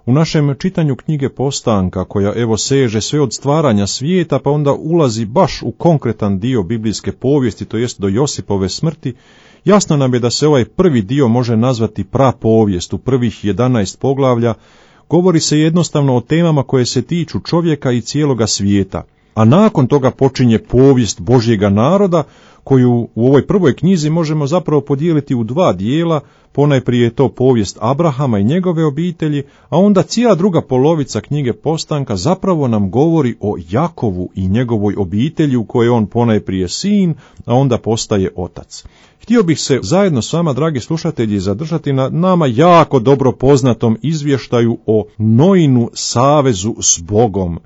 U našem čitanju knjige Postanka, koja evo seže sve od stvaranja svijeta, pa onda ulazi baš u konkretan dio biblijske povijesti, to jest do Josipove smrti, jasno nam je da se ovaj prvi dio može nazvati prapovijest. U prvih 11 poglavlja govori se jednostavno o temama koje se tiču čovjeka i cijeloga svijeta, a nakon toga počinje povijest Božjega naroda, koju u ovoj prvoj knjizi možemo zapravo podijeliti u dva dijela. Ponajprije je to povijest Abrahama i njegove obitelji, a onda cijela druga polovica knjige Postanka zapravo nam govori o Jakovu i njegovoj obitelji, u kojoj on ponajprije sin, a onda postaje otac. Htio bih se zajedno s vama, dragi slušatelji, zadržati na nama jako dobro poznatom izvještaju o Noinu savezu s Bogom.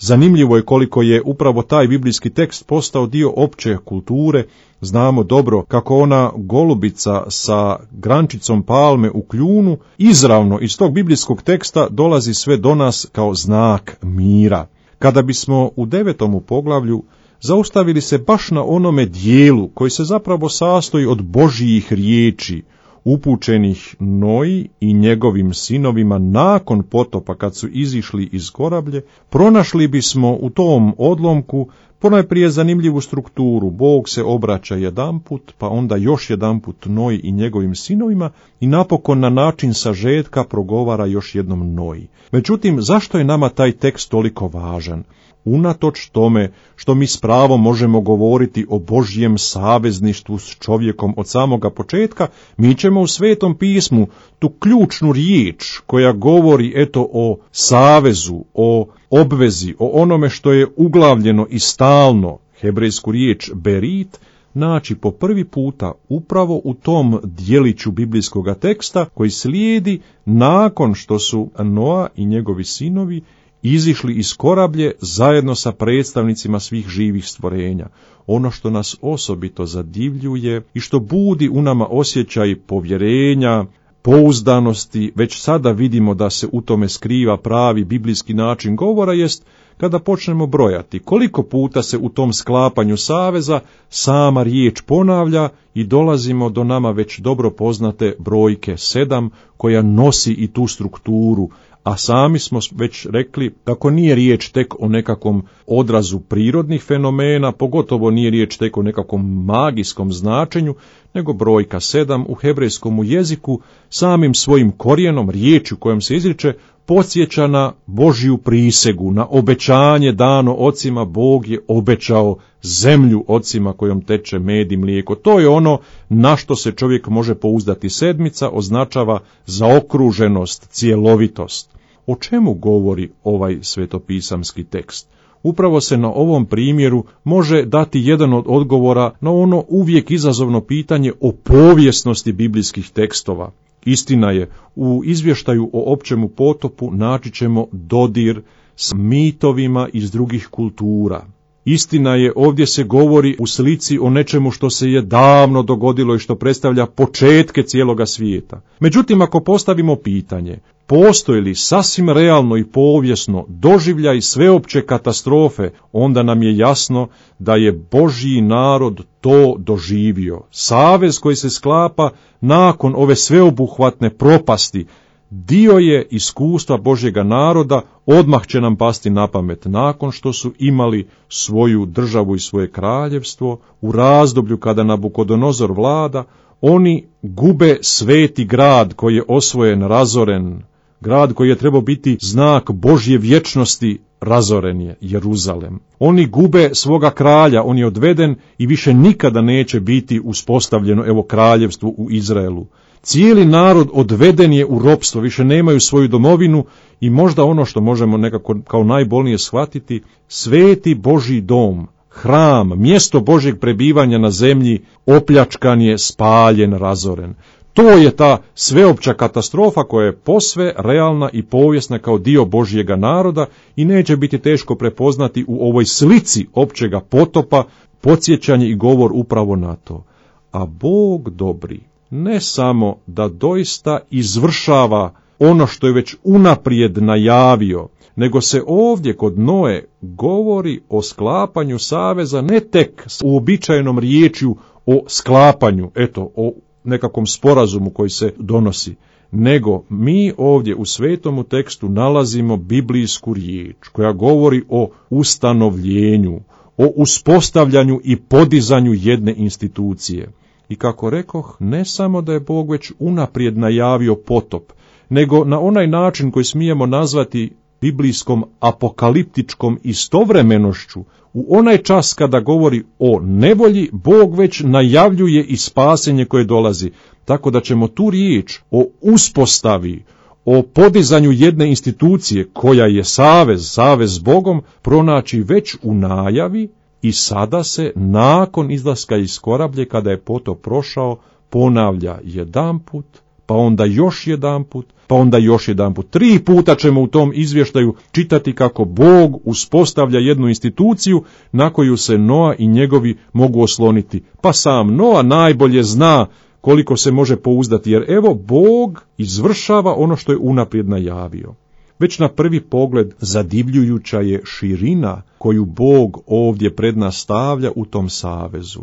Zanimljivo je koliko je upravo taj biblijski tekst postao dio opće kulture. Znamo dobro kako ona golubica sa grančicom palme u kljunu izravno iz tog biblijskog teksta dolazi sve do nas kao znak mira. Kada bismo u 9. poglavlju zaustavili se baš na onome dijelu koji se zapravo sastoji od Božjih riječi, upućenih Noji i njegovim sinovima nakon potopa kad su izišli iz korablje, pronašli bismo u tom odlomku ponajprije zanimljivu strukturu. Bog se obraća jedanput, pa onda još jedanput Noji i njegovim sinovima i napokon na način sažetka progovara još jednom Noji. Međutim, zašto je nama taj tekst toliko važan? Unatoč tome što mi s pravom možemo govoriti o Božjem savezništvu s čovjekom od samoga početka, mi ćemo u Svetom pismu tu ključnu riječ koja govori o savezu, o obvezi, o onome što je uglavljeno i stalno, hebrejsku riječ berit, naći po prvi puta upravo u tom dijeliću biblijskog teksta koji slijedi nakon što su Noa i njegovi sinovi izišli iz korablje zajedno sa predstavnicima svih živih stvorenja. Ono što nas osobito zadivljuje i što budi u nama osjećaj povjerenja, pouzdanosti, već sada vidimo da se u tome skriva pravi biblijski način govora, jest kada počnemo brojati koliko puta se u tom sklapanju saveza sama riječ ponavlja i dolazimo do nama već dobro poznate brojke 7 koja nosi i tu strukturu. A sami smo već rekli kako nije riječ tek o nekakvom odrazu prirodnih fenomena, pogotovo nije riječ tek o nekakvom magijskom značenju, nego brojka 7 u hebrejskom jeziku samim svojim korijenom, riječju kojom se izriče, podsjeća na Božju prisegu, na obećanje dano ocima. Bog je obećao zemlju ocima kojom teče med i mlijeko. To je ono na što se čovjek može pouzdati. 7 označava zaokruženost, cjelovitost. O čemu govori ovaj svetopisamski tekst? Upravo se na ovom primjeru može dati jedan od odgovora na ono uvijek izazovno pitanje o povijesnosti biblijskih tekstova. Istina je, u izvještaju o općemu potopu naći ćemo dodir s mitovima iz drugih kultura. Istina je, ovdje se govori u slici o nečemu što se je davno dogodilo i što predstavlja početke cijeloga svijeta. Međutim, ako postavimo pitanje, postoji li sasvim realno i povijesno doživljaj sveopće katastrofe, onda nam je jasno da je Božji narod to doživio. Savez koji se sklapa nakon ove sveobuhvatne propasti dio je iskustva Božjega naroda, odmah će nam pasti na pamet nakon što su imali svoju državu i svoje kraljevstvo. U razdoblju kada Nabukodonozor vlada, oni gube sveti grad koji je osvojen, razoren. Grad koji je trebao biti znak Božje vječnosti, razoren je, Jeruzalem. Oni gube svoga kralja, on je odveden i više nikada neće biti uspostavljeno kraljevstvo u Izraelu. Cijeli narod odveden je u ropstvo, više nemaju svoju domovinu i možda ono što možemo nekako kao najbolnije shvatiti, sveti Božji dom, hram, mjesto Božjeg prebivanja na zemlji, opljačkan je, spaljen, razoren. To je ta sveopća katastrofa koja je posve realna i povijesna kao dio Božjega naroda i neće biti teško prepoznati u ovoj slici općega potopa podsjećanje i govor upravo na to. A Bog dobri ne samo da doista izvršava ono što je već unaprijed najavio, nego se ovdje kod Noe govori o sklapanju saveza ne tek s uobičajenom riječju o sklapanju, o nekakvom sporazumu koji se donosi, nego mi ovdje u svetomu tekstu nalazimo biblijsku riječ koja govori o ustanovljenju, o uspostavljanju i podizanju jedne institucije. I kako rekoh, ne samo da je Bog već unaprijed najavio potop, nego na onaj način koji smijemo nazvati biblijskom apokaliptičkom istovremenošću, u onaj čas kada govori o nevolji, Bog već najavljuje i spasenje koje dolazi, tako da ćemo tu riječ o uspostavi, o podizanju jedne institucije koja je savez s Bogom, pronaći već u najavi i sada se nakon izlaska iz korablje, kada je potop prošao, ponavlja jedanput, pa onda još jedanput, pa onda još jedanput. 3 puta ćemo u tom izvještaju čitati kako Bog uspostavlja jednu instituciju na koju se Noa i njegovi mogu osloniti. Pa sam Noa najbolje zna koliko se može pouzdati, jer evo Bog izvršava ono što je unaprijed najavio. Već na prvi pogled zadivljujuća je širina koju Bog ovdje pred nas stavlja u tom savezu.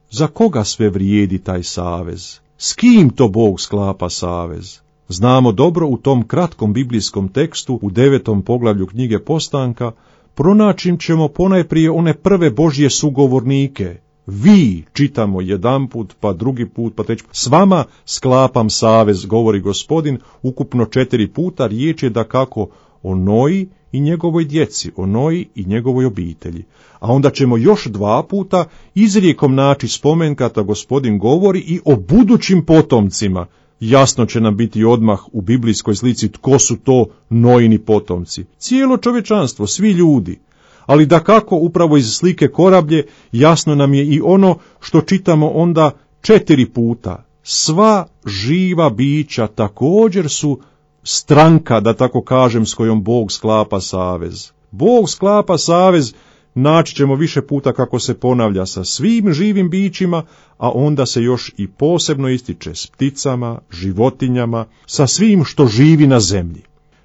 Za koga sve vrijedi taj savez? S kim to Bog sklapa savez? Znamo dobro u tom kratkom biblijskom tekstu u 9. poglavlju knjige Postanka pronaći ćemo ponajprije one prve Božje sugovornike. Vi, čitamo jedanput, pa drugi put, pa treći put, s vama sklapam savez, govori Gospodin, ukupno 4 puta. Riječ je dakako o Noji i njegovoj djeci, o Noji i njegovoj obitelji. A onda ćemo još 2 puta izrijekom naći spomen kada Gospodin govori i o budućim potomcima. Jasno će nam biti odmah u biblijskoj slici tko su to Nojini potomci. Cijelo čovječanstvo, svi ljudi. Ali dakako upravo iz slike korablje jasno nam je i ono što čitamo onda 4 puta. Sva živa bića također su stranka, da tako kažem, s kojom Bog sklapa savez. Bog sklapa savez, naći ćemo više puta kako se ponavlja sa svim živim bićima, a onda se još i posebno ističe s pticama, životinjama, sa svim što živi na zemlji.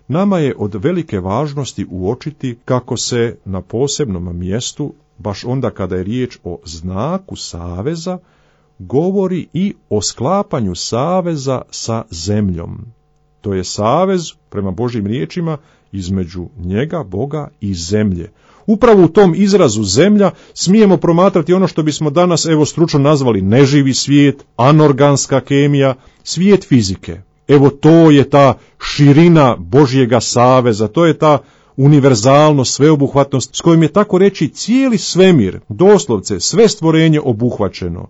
Nama je od velike važnosti uočiti kako se na posebnom mjestu, baš onda kada je riječ o znaku saveza, govori i o sklapanju saveza sa zemljom. To je savez, prema Božjim riječima, između njega, Boga i zemlje. Upravo u tom izrazu zemlja smijemo promatrati ono što bismo danas stručno nazvali neživi svijet, anorganska kemija, svijet fizike. Evo to je ta širina Božjega saveza, to je ta univerzalnost, sveobuhvatnost s kojom je tako reći cijeli svemir, doslovce sve stvorenje obuhvaćeno.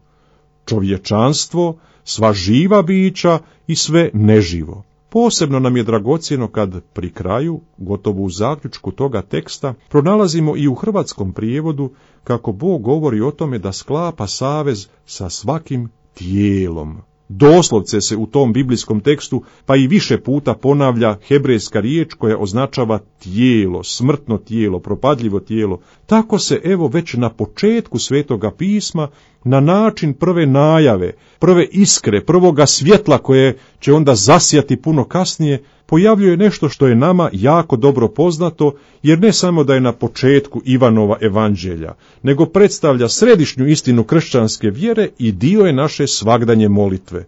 Čovječanstvo, sva živa bića i sve neživo. Posebno nam je dragocjeno kad pri kraju, gotovo u zaključku toga teksta, pronalazimo i u hrvatskom prijevodu kako Bog govori o tome da sklapa savez sa svakim tijelom. Doslovce se u tom biblijskom tekstu pa i više puta ponavlja hebrejska riječ koja označava tijelo, smrtno tijelo, propadljivo tijelo. Tako se već na početku Svetoga pisma, na način prve najave, prve iskre, prvoga svjetla koje će onda zasjati puno kasnije, pojavljuje nešto što je nama jako dobro poznato, jer ne samo da je na početku Ivanova evanđelja, nego predstavlja središnju istinu kršćanske vjere i dio je naše svagdanje molitve.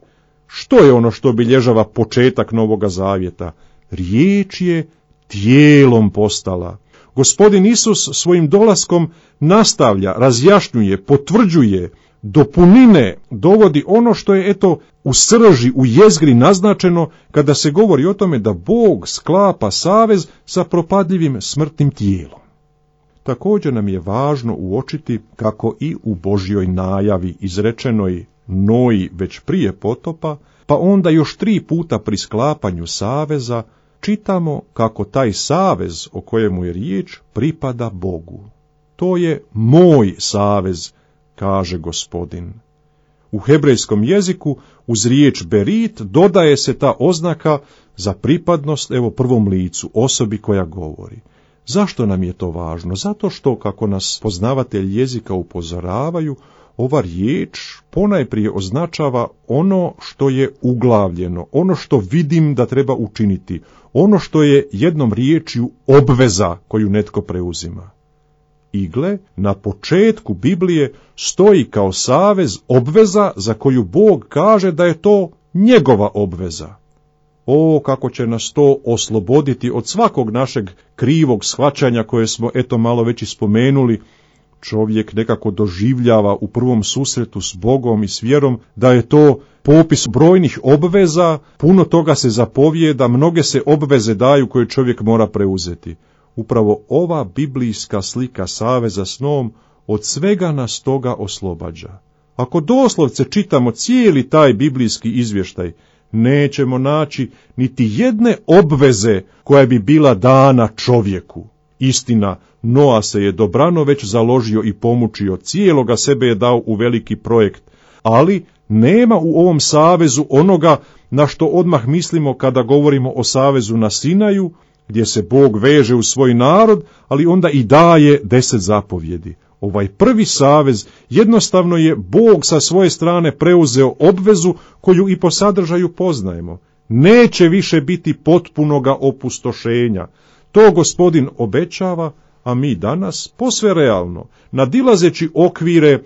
Što je ono što obilježava početak Novoga Zavjeta? Riječ je tijelom postala. Gospodin Isus svojim dolaskom nastavlja, razjašnjuje, potvrđuje, do punine dovodi ono što je u srži, u jezgri naznačeno kada se govori o tome da Bog sklapa savez sa propadljivim smrtnim tijelom. Također nam je važno uočiti kako i u Božjoj najavi izrečenoj Noji već prije potopa, pa onda još 3 puta pri sklapanju saveza, čitamo kako taj savez o kojemu je riječ pripada Bogu. To je moj savez, kaže Gospodin. U hebrejskom jeziku uz riječ berit dodaje se ta oznaka za pripadnost prvom licu, osobi koja govori. Zašto nam je to važno? Zato što, kako nas poznavatelji jezika upozoravaju, ova riječ ponajprije označava ono što je uglavljeno, ono što vidim da treba učiniti, ono što je jednom riječju obveza koju netko preuzima. I gle, na početku Biblije stoji kao savez obveza za koju Bog kaže da je to njegova obveza. O, kako će nas to osloboditi od svakog našeg krivog shvaćanja koje smo malo već i spomenuli. Čovjek nekako doživljava u prvom susretu s Bogom i s vjerom da je to popis brojnih obveza, puno toga se zapovijeda, mnoge se obveze daju koje čovjek mora preuzeti. Upravo ova biblijska slika saveza s njom od svega nas toga oslobađa. Ako doslovce čitamo cijeli taj biblijski izvještaj, nećemo naći niti jedne obveze koja bi bila dana čovjeku. Istina, Noa se je dobrano već založio i pomučio, cijeloga sebe je dao u veliki projekt, ali nema u ovom savezu onoga na što odmah mislimo kada govorimo o savezu na Sinaju, gdje se Bog veže u svoj narod, ali onda i daje 10 zapovjedi. Ovaj prvi savez jednostavno je Bog sa svoje strane preuzeo obvezu koju i po sadržaju poznajemo. Neće više biti potpunoga opustošenja. To Gospodin obećava, a mi danas, posve realno, nadilazeći okvire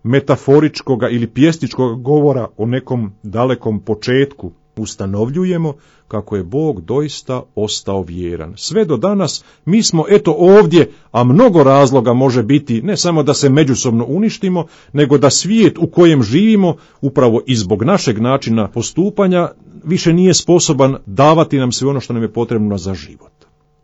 metaforičkoga ili pjesničkog govora o nekom dalekom početku, ustanovljujemo kako je Bog doista ostao vjeran. Sve do danas mi smo ovdje, a mnogo razloga može biti, ne samo da se međusobno uništimo, nego da svijet u kojem živimo, upravo i zbog našeg načina postupanja, više nije sposoban davati nam sve ono što nam je potrebno za život.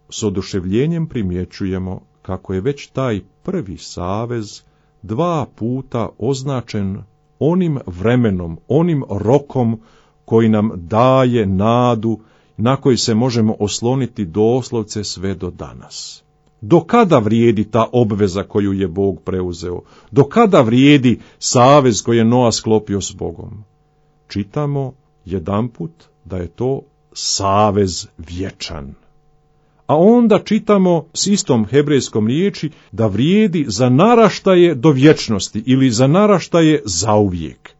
S oduševljenjem primjećujemo kako je već taj prvi savez 2 puta označen onim vremenom, onim rokom koji nam daje nadu, na koji se možemo osloniti doslovce sve do danas. Do kada vrijedi ta obveza koju je Bog preuzeo? Do kada vrijedi savez koji je Noa sklopio s Bogom? Čitamo jedanput da je to savez vječan. A onda čitamo s istom hebrejskom riječi da vrijedi za naraštaje do vječnosti ili za naraštaje zauvijek.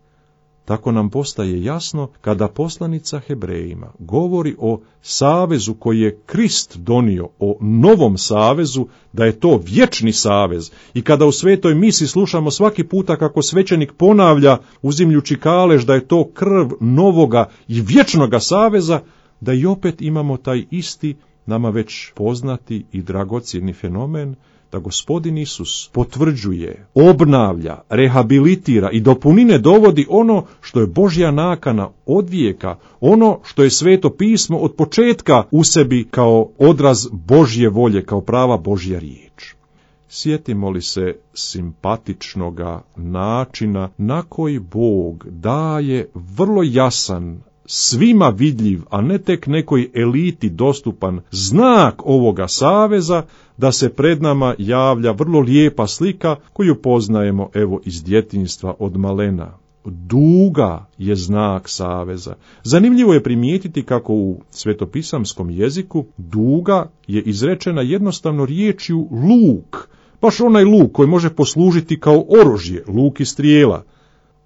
Tako nam postaje jasno kada poslanica Hebrejima govori o savezu koji je Krist donio, o novom savezu, da je to vječni savez. I kada u svetoj misi slušamo svaki puta kako svećenik ponavlja, uzimljući kalež da je to krv novoga i vječnoga saveza, da i opet imamo taj isti, nama već poznati i dragocjeni fenomen, da Gospodin Isus potvrđuje, obnavlja, rehabilitira i do punine dovodi ono što je Božja nakana od vijeka, ono što je Sveto pismo od početka u sebi kao odraz Božje volje, kao prava Božja riječ. Sjetimo li se simpatičnoga načina na koji Bog daje vrlo jasan, svima vidljiv, a ne tek nekoj eliti dostupan znak ovoga saveza, da se pred nama javlja vrlo lijepa slika koju poznajemo iz djetinjstva od malena. Duga je znak saveza. Zanimljivo je primijetiti kako u svetopisamskom jeziku duga je izrečena jednostavno riječju luk, baš onaj luk koji može poslužiti kao oružje, luk i strijela.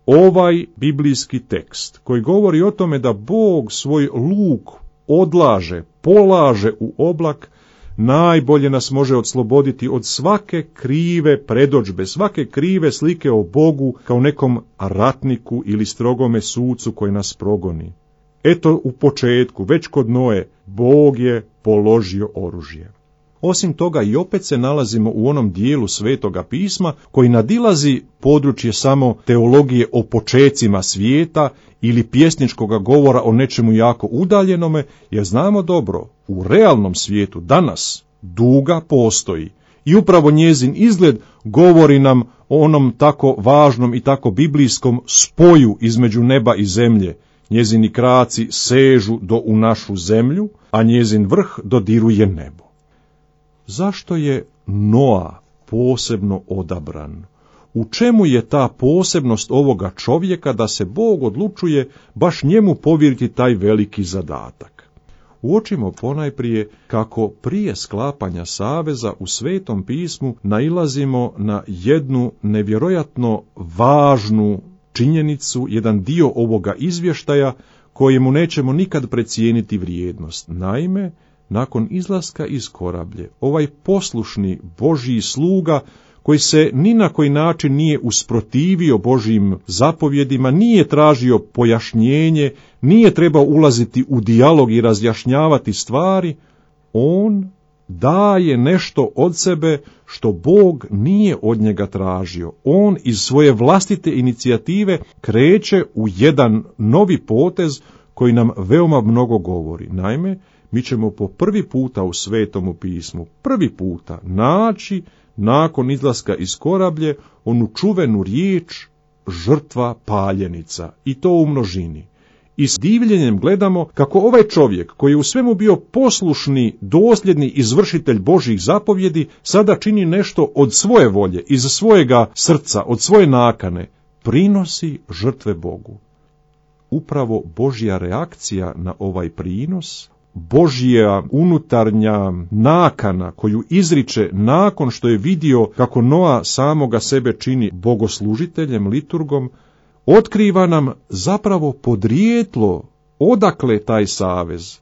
Ovaj biblijski tekst koji govori o tome da Bog svoj luk odlaže, polaže u oblak, najbolje nas može osloboditi od svake krive predodžbe, svake krive slike o Bogu kao nekom ratniku ili strogome sucu koji nas progoni. U početku, već kod Noe, Bog je položio oružje. Osim toga i opet se nalazimo u onom dijelu Svetoga pisma koji nadilazi područje samo teologije o počecima svijeta ili pjesničkog govora o nečemu jako udaljenome, jer znamo dobro, u realnom svijetu danas duga postoji i upravo njezin izgled govori nam o onom tako važnom i tako biblijskom spoju između neba i zemlje. Njezini kraci sežu u našu zemlju, a njezin vrh dodiruje nebo. Zašto je Noa posebno odabran? U čemu je ta posebnost ovoga čovjeka da se Bog odlučuje baš njemu povjeriti taj veliki zadatak? Uočimo ponajprije kako prije sklapanja saveza u Svetom pismu nailazimo na jednu nevjerojatno važnu činjenicu, jedan dio ovoga izvještaja kojemu nećemo nikad precijeniti vrijednost. Naime, nakon izlaska iz korablje, ovaj poslušni Božji sluga koji se ni na koji način nije usprotivio Božjim zapovjedima, nije tražio pojašnjenje, nije trebao ulaziti u dijalog i razjašnjavati stvari, on daje nešto od sebe što Bog nije od njega tražio. On iz svoje vlastite inicijative kreće u jedan novi potez koji nam veoma mnogo govori. Naime, mi ćemo po prvi puta u Svetomu pismu, prvi puta naći nakon izlaska iz korablje onu čuvenu riječ žrtva paljenica, i to u množini. I s divljenjem gledamo kako ovaj čovjek, koji je u svemu bio poslušni, dosljedni izvršitelj Božjih zapovjedi, sada čini nešto od svoje volje, iz svojega srca, od svoje nakane, prinosi žrtve Bogu. Upravo Božja reakcija na ovaj prinos, Božja unutarnja nakana koju izriče nakon što je vidio kako Noa samoga sebe čini bogoslužiteljem, liturgom, otkriva nam zapravo podrijetlo odakle taj savez.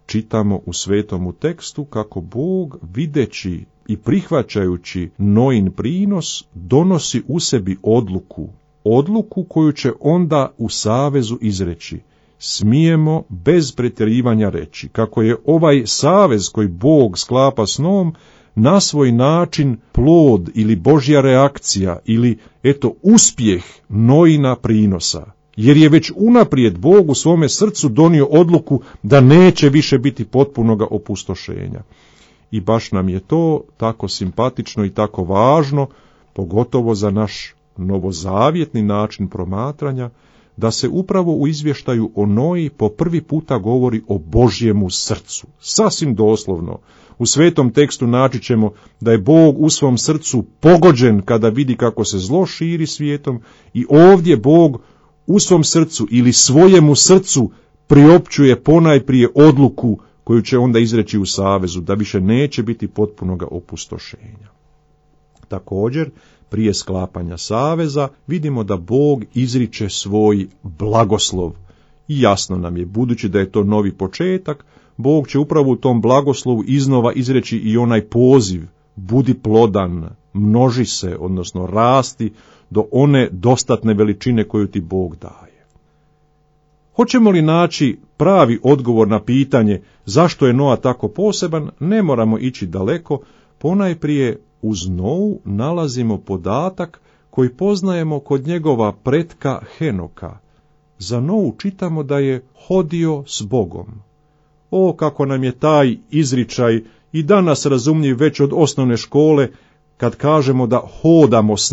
Čitamo u svetomu tekstu kako Bog, videći i prihvaćajući Noin prinos, donosi u sebi odluku koju će onda u savezu izreći. Smijemo bez pretjerivanja reći kako je ovaj savez koji Bog sklapa s Noom na svoj način plod ili Božja reakcija ili uspjeh Noina prinosa, jer je već unaprijed Bog u svome srcu donio odluku da neće više biti potpunoga opustošenja. I baš nam je to tako simpatično i tako važno, pogotovo za naš novozavjetni način promatranja, da se upravo u izvještaju o Noji po prvi puta govori o Božjemu srcu. Sasvim doslovno. U svetom tekstu naći ćemo da je Bog u svom srcu pogođen kada vidi kako se zlo širi svijetom, i ovdje Bog u svom srcu ili svojemu srcu priopćuje ponajprije odluku koju će onda izreći u savezu, da više neće biti potpunoga opustošenja. Također, prije sklapanja saveza vidimo da Bog izriče svoj blagoslov. I jasno nam je, budući da je to novi početak, Bog će upravo u tom blagoslovu iznova izreći i onaj poziv: budi plodan, množi se, odnosno rasti do one dostatne veličine koju ti Bog daje. Hoćemo li naći pravi odgovor na pitanje zašto je Noa tako poseban, ne moramo ići daleko, ponajprije uz Novu nalazimo podatak koji poznajemo kod njegova pretka Henoka. Za Novu čitamo da je hodio s Bogom. O, kako nam je taj izričaj i danas razumljiv već od osnovne škole, kad kažemo da hodamo s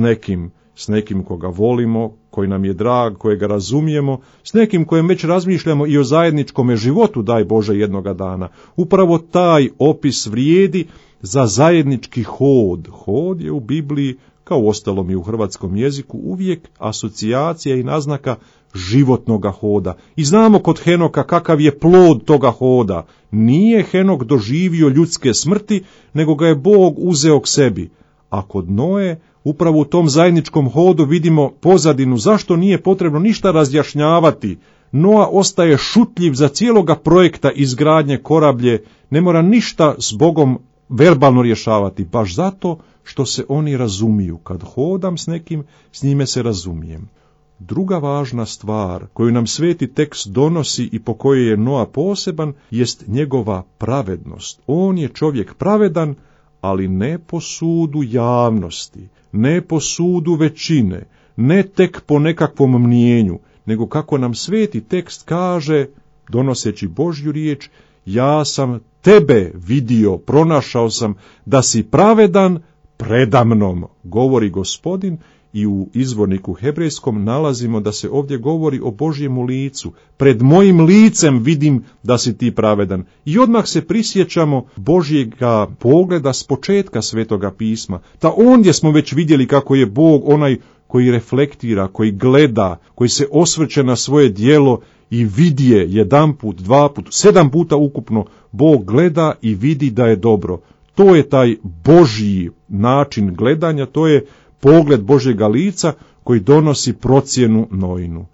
nekim koga volimo, koji nam je drag, kojega razumijemo, s nekim kojem već razmišljamo i o zajedničkome životu, daj Bože, jednoga dana. Upravo taj opis vrijedi za zajednički hod. Hod je u Bibliji, kao uostalom i u hrvatskom jeziku, uvijek asocijacija i naznaka životnoga hoda. I znamo kod Henoka kakav je plod toga hoda. Nije Henok doživio ljudske smrti, nego ga je Bog uzeo k sebi. A kod Noe, upravo u tom zajedničkom hodu vidimo pozadinu zašto nije potrebno ništa razjašnjavati. Noa ostaje šutljiv za cijeloga projekta izgradnje korablje, ne mora ništa s Bogom verbalno rješavati, baš zato što se oni razumiju. Kad hodam s nekim, s njime se razumijem. Druga važna stvar koju nam sveti tekst donosi i po kojoj je Noa poseban, jest njegova pravednost. On je čovjek pravedan, ali ne po sudu javnosti, ne po sudu većine, ne tek po nekakvom mnijenju, nego kako nam sveti tekst kaže, donoseći Božju riječ: ja sam tebe vidio, pronašao sam da si pravedan predamnom, govori Gospodin. I u izvorniku hebrejskom nalazimo da se ovdje govori o Božjemu licu. Pred mojim licem vidim da si ti pravedan. I odmah se prisjećamo Božjega pogleda s početka Svetoga pisma. Ta ondje smo već vidjeli kako je Bog onaj koji reflektira, koji gleda, koji se osvrće na svoje djelo i vidje jedanput, dvaput, 7 puta ukupno. Bog gleda i vidi da je dobro. To je taj Božji način gledanja, to je pogled Božjega lica koji donosi procjenu Noinu.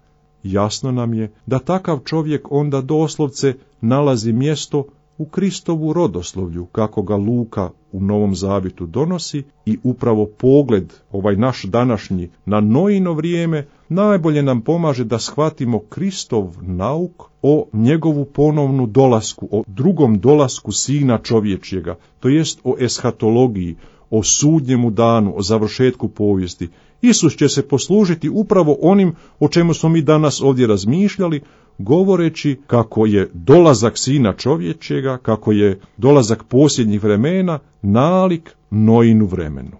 Jasno nam je da takav čovjek onda doslovce nalazi mjesto u Kristovu rodoslovlju, kako ga Luka u Novom Zavjetu donosi, i upravo pogled, ovaj naš današnji, na Noino vrijeme, najbolje nam pomaže da shvatimo Kristov nauk o njegovu ponovnu dolasku, o drugom dolasku Sina čovječjega, to jest o eshatologiji, o sudnjemu danu, o završetku povijesti. Isus će se poslužiti upravo onim o čemu smo mi danas ovdje razmišljali, govoreći kako je dolazak Sina čovječjega, kako je dolazak posljednjih vremena nalik Noinu vremenu.